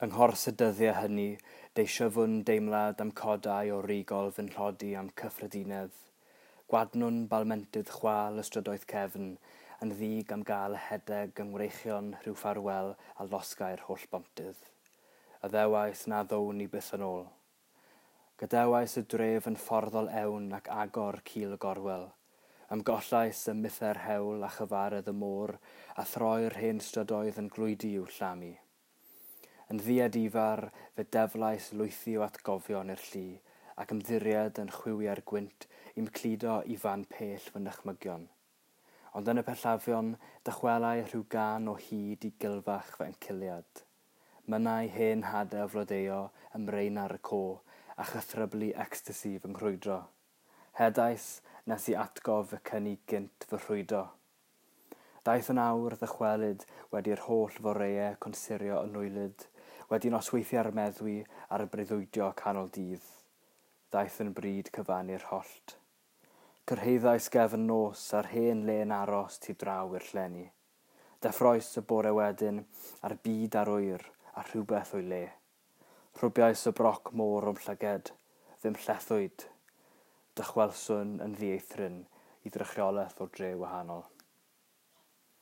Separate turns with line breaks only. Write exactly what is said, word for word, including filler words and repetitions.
Yng nghors y dyddiau hynny, deisyfwn deimlad am codau o rigol fy nhlodi am cyffredinedd. Gwadnwn balmentydd chwâl y strydoedd cefn, yn ddig am gael hedeg yng ngwreichion rhyw ffarwel a losgai'r holl bontydd. Addewais na ddown i byth yn ôl. Gadewais y dref yn fforddol ewn ac agor cil y gorwel. Ymgollais ym mythau'r hewl a chyfaredd y môr a throi'r hen strydoedd yn glwydi i'w llamu. Yn ddiadifar, fe deflais lwythi o atgofion i'r llu ac ymddiried yn chwiwiau'r gwynt i'm cludo i fan pell fy nychmygion. Ond yn y pellafion, dychwelai rhyw gân o hyd i gilfach fy enciliad. Mynnai hen hadau flodeuo ym mrain ar y co a chythryblu ecstasi fy nghrwydro. Hedais nes i atgof fy cyni gynt fy rhwydo. Daeth yn awr ddychwelyd wedi'r holl foreau consurio yn nwylyd, wedi nosweithiau'r meddwi a'r breuddwydio canol dydd. Daeth yn bryd cyfannu'r hollt. Cyrhaeddais gefn nos a'r hen le'n aros tu draw i'r llenni. Deffroes y bore wedyn a'r byd ar oer a rhywbeth o'i le. Rhwbiais y broc môr o'm llyged, ddim llethwyd. Dychwelswn yn ddieithryn i ddrychiolaeth o dre wahanol.